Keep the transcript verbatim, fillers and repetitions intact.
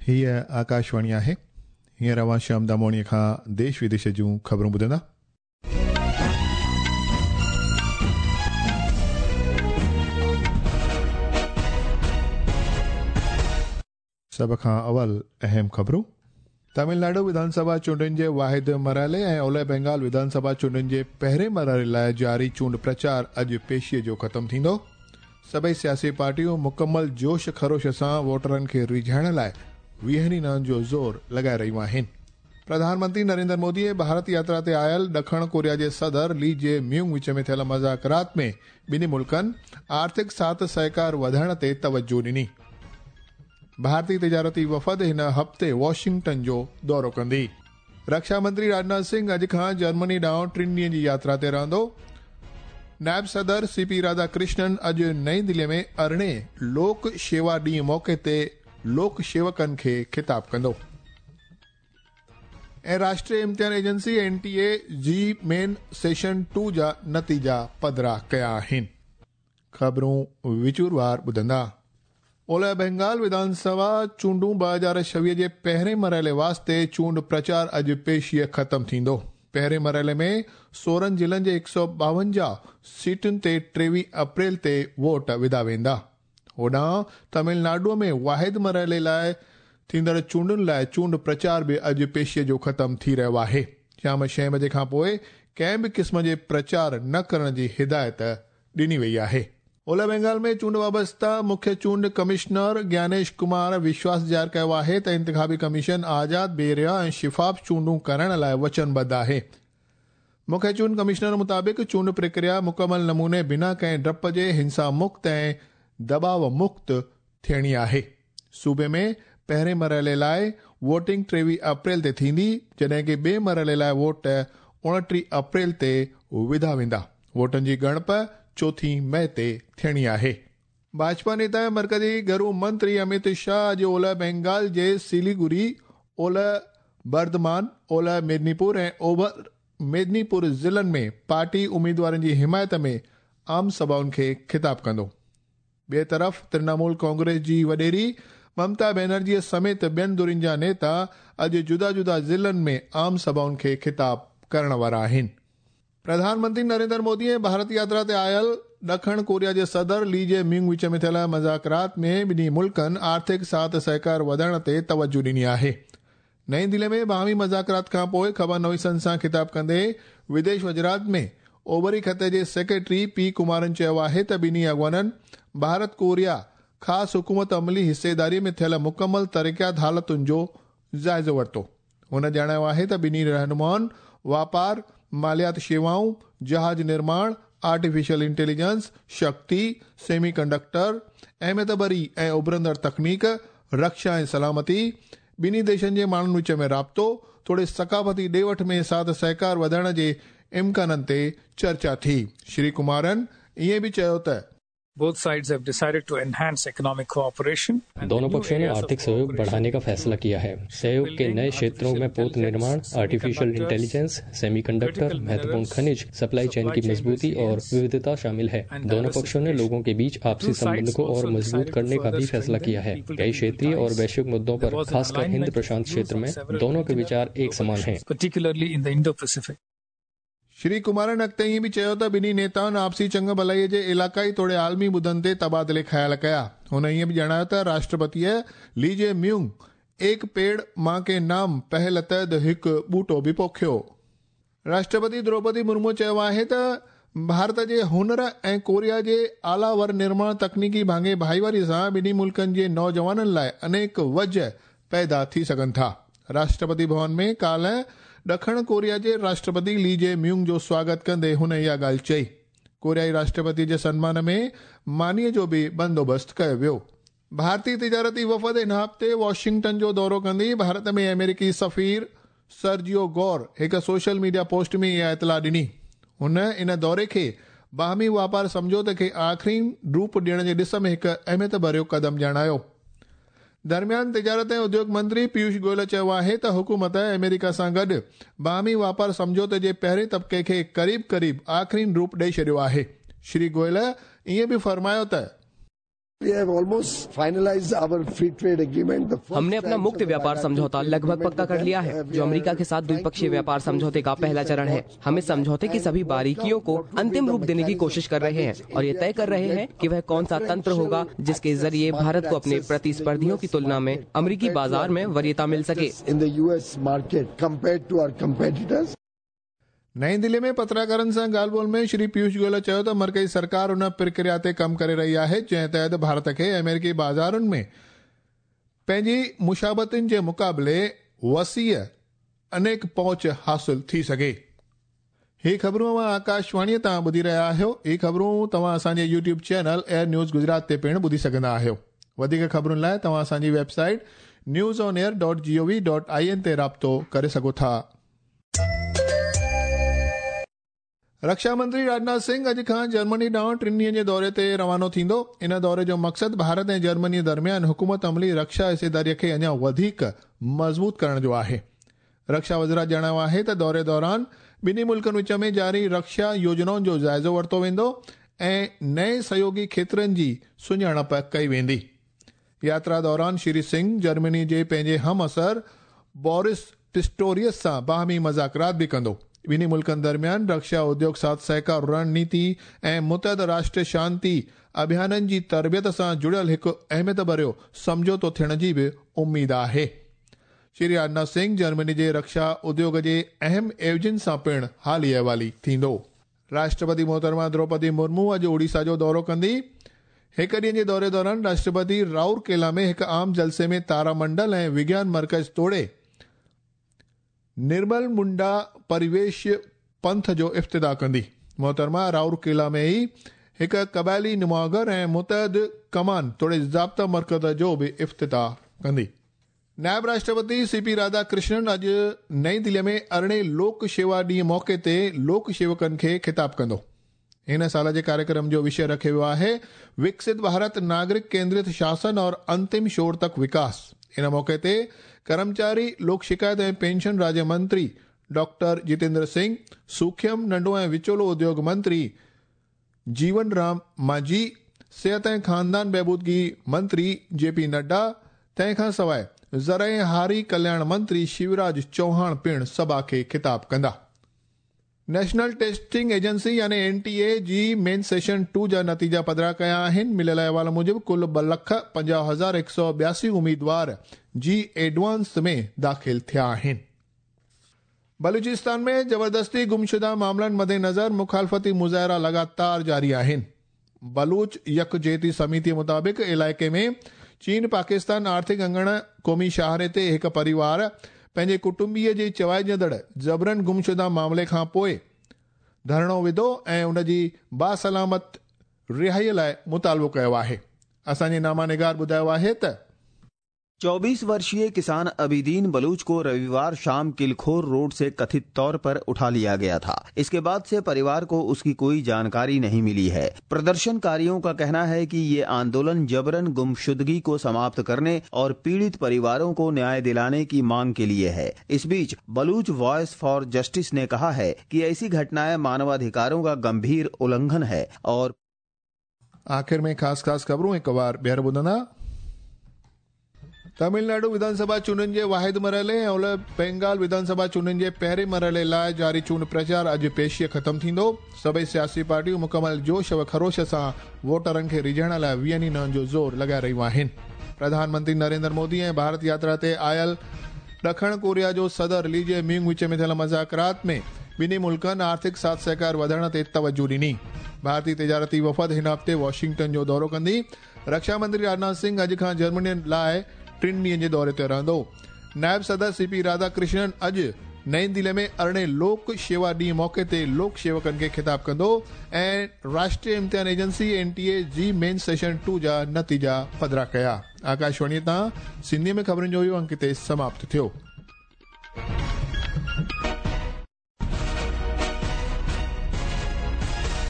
हीअ आकाशवाणी आहे। हींअर अव्हां श्याम दामोणीअ खां देश विदेश जूं ख़बरूं ॿुधंदा। सभ खां अवल अहम ख़बरूं। तमिलनाडु विधानसभा चूंडुनि जे वाहिद मरहले ऐं ओलह बंगाल विधानसभा चूंडुनि जे पहिरें मरहले लाइ जारी चूंड प्रचार अॼु पेशीअ जो ख़तमु थींदो। सभई सियासी पार्टियूं मुकमल जोश खरोश सां वोटरनि खे रिझाइण लाइ वीहनि ॾींहनि जो ज़ोर लॻाए रहियूं आहिनि। प्रधानमंत्री नरेंद्र मोदी भारत यात्रा ते आयल ॾखण कोरिया जे सदर ली जे म्यूंग विच में थियल मुज़ाकरात में ॿिन्ही मुल्कनि आर्थिक साथ सहकार वधाइण ते तवजो ॾिनी। भारतीय तिजारती वफ़द हिन हफ़्ते वॉशिंगटन जो दौरो कंदी। रक्षा मंत्री राजनाथ सिंह अॼु खां जर्मनी ॾांहुं टिनि ॾींहनि जी यात्रा ते रहंदो। नायब सदर सी पी राधाकृष्णन अॼु नई दिल्लीअ में अरिड़हें लोक शेवा ॾींहुं मौक़े ते लोक सेवकनि खे ख़िताब कंदो। ऐं राष्ट्रीय इम्तिहान agency N T A JEE main session two जा नतीजा पधरा कया आहिनि। ख़बरूं विचूरवार ॿुधंदा। ओलह बंगाल विधानसभा चूंडूं ॿ हज़ार छवीह जे पहिरें मरहले वास्ते चूंड प्रचार अॼु पेशीअ ख़तमु थींदो। पहिरें मरहले में सोरहं ज़िलनि जे हिकु सौ ॿावंजाह सीटुनि ते टेवीह अप्रैल ते वोट विधा वेंदा। होॾां तमिलनाडुअ में वाहिद मरहले लाइ थींदड़ चूंडुनि लाइ चूंड प्रचार बि अॼु पेशीअ जो ख़तमु थी रहियो आहे। शाम छह बजे खां पोइ कंहिं बि क़िस्म जे प्रचार न करण जी हिदायत ॾिनी वई आहे। ओलह बंगाल में चूंड वाबस्ता मुख्य चूंड कमिश्नर ज्ञानेश कुमार विश्वास ज़ाहिर कयो आहे त इंतिखाबी कमीशन आज़ाद, बेरिया ऐं शिफ़ाफ़ चूंडूं करण लाइ वचनबद्ध आहे। मुख्य चूंड कमिश्नर मुताबिक़ चूंड प्रक्रिया मुकमल नमूने बिना कंहिं ड्रप जे हिंसा मुक्त ऐं दबाव मुक्त थियणी आहे। सूबे में पहिरें मरहले लाइ वोटिंग टेवीह अप्रैल ते थींदी, जॾहिं की ॿिए मरहले लाइ वोट उणिटीह अप्रैल ते विधा वेंदा। वोटनि जी ॻणप चोथी मई ते थियणी आहे। भाजपा नेता ऐं मर्कज़ी घरू मंत्री अमित शाह अॼु ओलह बंगाल जे सिलीगुड़ी, ओलह बर्धमान, ओलह मेदिनीपुर ऐं ओभर मेदिनीपुर ज़िलनि में पार्टी उमेदवारनि जी हिमायत में आम सभाउनि खे ख़िताब कंदो। ॿिए तरफ़ तृणमूल कांग्रेस जी वॾेरी ममता बनर्जी समेत ॿियनि धुरियुनि जा नेता अॼु जुदा जुदा ज़िलनि में आम सभाउनि खे ख़िताब करण वारा आहिनि। प्रधानमंत्री नरेंद्र मोदी ऐं भारत यात्रा ते आयल ॾखण कोरिया जे सदर ली जे म्यूंग विच में थियल मुज़ाकरात में ॿिन्ही मुल्कनि आर्थिक साथ सहकार वधाइण ते तवजो ॾिनी आहे। नई दिल्ली में बाहमी मुज़ाकरात खां पोइ ख़बर नवीसनि सां ख़िताब कंदे विदेश वज़ारत में ओभरी ख़िते जे सेक्रेटरी पी कुमारन चयो आहे त ॿिन्ही अॻवाननि भारत कोरिया ख़ासि हुकूमत अमली हिस्सेदारीअ में थियल मुकमल तरक़ियात हालतुनि जो जाइज़ो वरितो। हुन ॼाणायो आहे त ॿिन्ही रहनुमाउनि वापार, मालियात शेवाऊं, जहाज़ निर्माण, आर्टिफिशियल इंटेलिजेंस, शक्ति, सेमी कंडक्टर, अहमियत भरी ऐं उभरंदड़ तकनीक, रक्षा ऐं सलामती, ॿिन्ही देशनि जे माण्हुनि विच में राब्तो तोड़े सकाफ़ती ॾे वठ में साथ सहकार वधाइण जे इम्काननि ते चर्चा थी। श्री कुमारन ईअं बि चयो त Both sides have decided to enhance economic cooperation. दोनों पक्षों ने आर्थिक सहयोग बढ़ाने का फैसला किया है। सहयोग के नए क्षेत्रों में पोत निर्माण, आर्टिफिशियल इंटेलिजेंस, सेमीकंडक्टर, महत्वपूर्ण खनिज, सप्लाई चेन की मजबूती और विविधता शामिल है। दोनों पक्षों ने लोगों के बीच आपसी संबंध को और मजबूत करने का भी फैसला किया है। कई क्षेत्रीय और वैश्विक मुद्दों पर, खासकर हिंद प्रशांत क्षेत्र में, दोनों के विचार एक समान हैं। श्री कुमारन अॻिते ईअं बि चयो त ॿिन्ही नेताउनि आपसी चंग भलाईअ जे इलाक़ाई तोड़े आलमी मुद्दनि ते तबादिले ख़्याल कया। हुन ईअं बि ॼाणायो त राष्ट्रपतीअ ली जे म्यूंग एक पेड़ मां के नाम पहल तहत हिकु ॿूटो बि पोखियो। राष्ट्रपति द्रौपदी मुर्मू चयो आहे त भारत जे हुनर ऐं कोरिया जे आला वर निर्माण तकनीकी भाङे भाईवारी सां ॿिन्ही मुल्कनि जे नौजवाननि लाइ अनेक वज पैदा थी सघनि था। राष्ट्रपति भवन में काल्हि ॾखण कोरिया जे राष्ट्रपति ली जे म्यूंग जो स्वागत कंदे हुन इहा ॻाल्हि चई। कोरियाई राष्ट्रपति जे सन्मान में मानीअ जो बि बंदोबस्तु कयो वियो। भारतीय तिजारती वफ़द हिन हफ़्ते वॉशिंगटन जो दौरो कंदी। भारत में अमेरिकी सफ़ीर सर्जियो गौर हिकु सोशल मीडिया पोस्ट में इहा इतला ॾिनी। हुन इन दौरे खे बाहमी वापार सम्झौते खे आख़िरी रूप ॾियण जे ॾिस में हिकु अहमियत भरियो क़दम ॼाणायो। दरमियान तिजारत ऐं उद्योग मंत्री पीयूष गोयल चयो आहे त हुकूमत अमेरिका सां गॾु बाहमी वापार सम्झौते जे पहिरें तबिके खे क़रीब क़रीब आख़िरी रूप ॾेई छॾियो आहे। श्री गोयल ईअं बि फरमायो त We have almost finalized our free trade agreement. The first हमने अपना मुक्त व्यापार समझौता लगभग पक्का कर लिया है, जो अमेरिका के साथ द्विपक्षीय व्यापार समझौते का पहला चरण है। हम इस समझौते की सभी बारीकियों को अंतिम रूप देने की कोशिश कर रहे हैं और ये तय कर रहे हैं कि वह कौन सा तंत्र होगा जिसके जरिए भारत को अपने प्रतिस्पर्धियों की तुलना में अमेरिकी बाजार में वरीयता मिल सके। in the U S market compared to our competitors. नई दिल्ली में पत्रकारनि सां ॻाल्हि ॿोल में श्री पीयूष गोयल चयो त मर्कज़ी सरकार उन प्रक्रिया ते कमु करे रही आहे जंहिं तहत भारत खे अमेरिकी बाज़ारुनि में पंहिंजी मुशाबतुनि जे मुक़ाबले वसीअ अनेक पहुच हासिल थी सघे। ही ख़बरूं अव्हां आकाशवाणीअ तां ॿुधी रहिया आहियो। ही ख़बरूं तव्हां असांजे YouTube channel Air News Gujarat ते पिणु ॿुधी सघंदा आहियो। वधीक ख़बरुनि लाइ तव्हां असांजी website news on air dot G O V dot I N ते राब्तो करे सघो था। रक्षा मंत्री राजनाथ सिंह अॼु खां जर्मनी ॾांहुं टिनि ॾींहनि जे दौरे ते रवानो थींदो। इन दौरे जो मक़सदु भारत ऐं जर्मनी दरमियान हुकूमत अमली रक्षा हिस्सेदारीअ खे अञा वधीक मज़बूत करण जो आहे। रक्षा वज़ारत ॼाणायो आहे त दौरे दौरान ॿिन्ही मुल्कनि विच में जारी रक्षा योजनाउनि जो जाइज़ो वरितो वेंदो ऐं नए सहयोगी क्षेत्रनि जी सुञाणप कई वेंदी। यात्रा दौरान श्री सिंह जर्मनी जे पंहिंजे हम असर बोरिस पिस्टोरियस सां बाहमी मज़ाकरात बि कंदो। ॿिन्ही मुल्कनि दरमियान रक्षा उद्योग साथ सहकार रणनीति ऐं मुतहद राष्ट्र शांति अभियाननि जी तरबियत सां जुड़ियल हिकु अहमियत भरियो सम्झौतो थियण जी बि उम्मीद आहे। श्री राजनाथ सिंह जर्मनी जे रक्षा उद्योग जे अहम एवजिन सां पिणु हाली अहवाली थींदो। राष्ट्रपति मोहतरमा द्रौपदी मुर्मू अॼु ओडिशा जो दौरो कंदी। हिकु ॾींहं जे दौरे दौरान राष्ट्रपति राउरकेला में हिकु आम जलसे में तारामंडल ऐं विज्ञान मर्कज़ तोड़े निर्मल मुंडा परिवेश पंथ जो इफ्तिताह कंदी। मोहतरमा राउरकेला में ई हिकु क़बाइली नुमागर ऐं मुतहद कमान तोड़े ज़ाब्ता मर्कज़ जो बि इफ्तिताह कंदी। नायब राष्ट्रपति सी पी राधाकृष्णन अॼु नई दिल्लीअ में अरिड़हें लोक शेवा ॾींहं मौक़े ते लोक सेवकनि खे ख़िताब कंदो। हिन साल जे कार्यक्रम जो विषय रखियो वियो आहे विकसित भारत नागरिक केंद्रित शासन और अंतिम शोर तक विकास। इन मौक़े ते कर्मचारी लोक शिकायत ऐं पेंशन राज्य मंत्री डॉक्टर जितेंद्र सिंह, सूखम नंढो ऐं विचोलो उद्योग मंत्री जीवन राम मांझी, सिहत ऐं ख़ानदान बहबूदगी मंत्री जे पी नड्डा, तंहिंखां सवाइ ज़रई हारी कल्याण मंत्री शिवराज चौहान पिणु सभा खे ख़िताब कंदा। नेशनल टेस्टिंग एजेंसी यानी N T A JEE main session two जा नतीजा पधरा कया आहिनि। मिलियल अहवाल मूजिबि कुल ॿ लख पंजाह हज़ार हिकु सौ ॿियासी उम्मीदवार जी एडवांस में दाख़िल थिया आहिनि। बलूचिस्तान में ज़बरदस्ती गुमशुदा मामलनि मद्देनज़र मुखालफ़ती मुज़ाहिरा लगातार जारी आहिनि। बलूच यकजेती समिति मुताबिक़ इलाइक़े में चीन पाकिस्तान आर्थिक अंगण क़ौमी शाहरे ते हिकु परिवार पंहिंजे कुटुंबीअ जे चवाइजंदड़ ज़बरन गुमशुदा मामले खां पोइ धरणो विधो ऐं उन जी बासलामत रिहाईअ लाइ मुतालिबो कयो आहे। असांजे नामा निगार ॿुधायो आहे त चौबीस वर्षीय किसान अबीदीन बलूच को रविवार शाम किलखोर रोड से कथित तौर पर उठा लिया गया था। इसके बाद से परिवार को उसकी कोई जानकारी नहीं मिली है। प्रदर्शनकारियों का कहना है कि ये आंदोलन जबरन गुमशुदगी को समाप्त करने और पीड़ित परिवारों को न्याय दिलाने की मांग के लिए है। इस बीच बलूच वॉइस फॉर जस्टिस ने कहा है कि ऐसी घटनाएं मानवाधिकारों का गंभीर उल्लंघन है। और आखिर में खास खास खबरों एक बार ॿीहर ॿुधंदा। तमिलनाडु विधानसभा चूंडनि जे वाहिद मरहले ऐं ओलह बंगाल विधानसभा चूंडनि जे पहिरें मरहले लाइ जारी चूंड प्रचार अॼु पेशीअ ख़तमु थींदो। सभई सियासी पार्टियूं मुकमल जोश व खरोश सां वोटरनि खे रिझाइण लाइ वीहनि ॾींहनि जो ज़ोर लॻाए रहियूं आहिनि। प्रधानमंत्री नरेंद्र मोदी ऐं भारत यात्रा ते आयल ॾखण कोरिया जो सदर ली जे म्यूंग विच में थियल मुज़ाकरात में ॿिन्ही मुल्कनि आर्थिक साथ सहकार वधाइण ते तवजो ॾिनी। भारतीय तिजारती वफ़द हिन हफ़्ते वॉशिंगटन जो दौरो कंदी। रक्षा मंत्री राजनाथ सिंह अॼु खां जर्मनी लाइ टिनि ॾींहनि जे दौरे ते रहंदो। नायब सदर सी पी राधाकृष्णन अॼु नई दिल्ली में अरिड़हें लोक शेवा ॾींहं मौक़े ते लोक सेवकनि खे ख़िताब कंदो ऐं राष्ट्रीय इम्तिहान agency N T A JEE main session two जा नतीजा पधरा कया। आकाशवाणी तां सिंधी में ख़बरुनि जो इहो अंक हिते समाप्त थियो।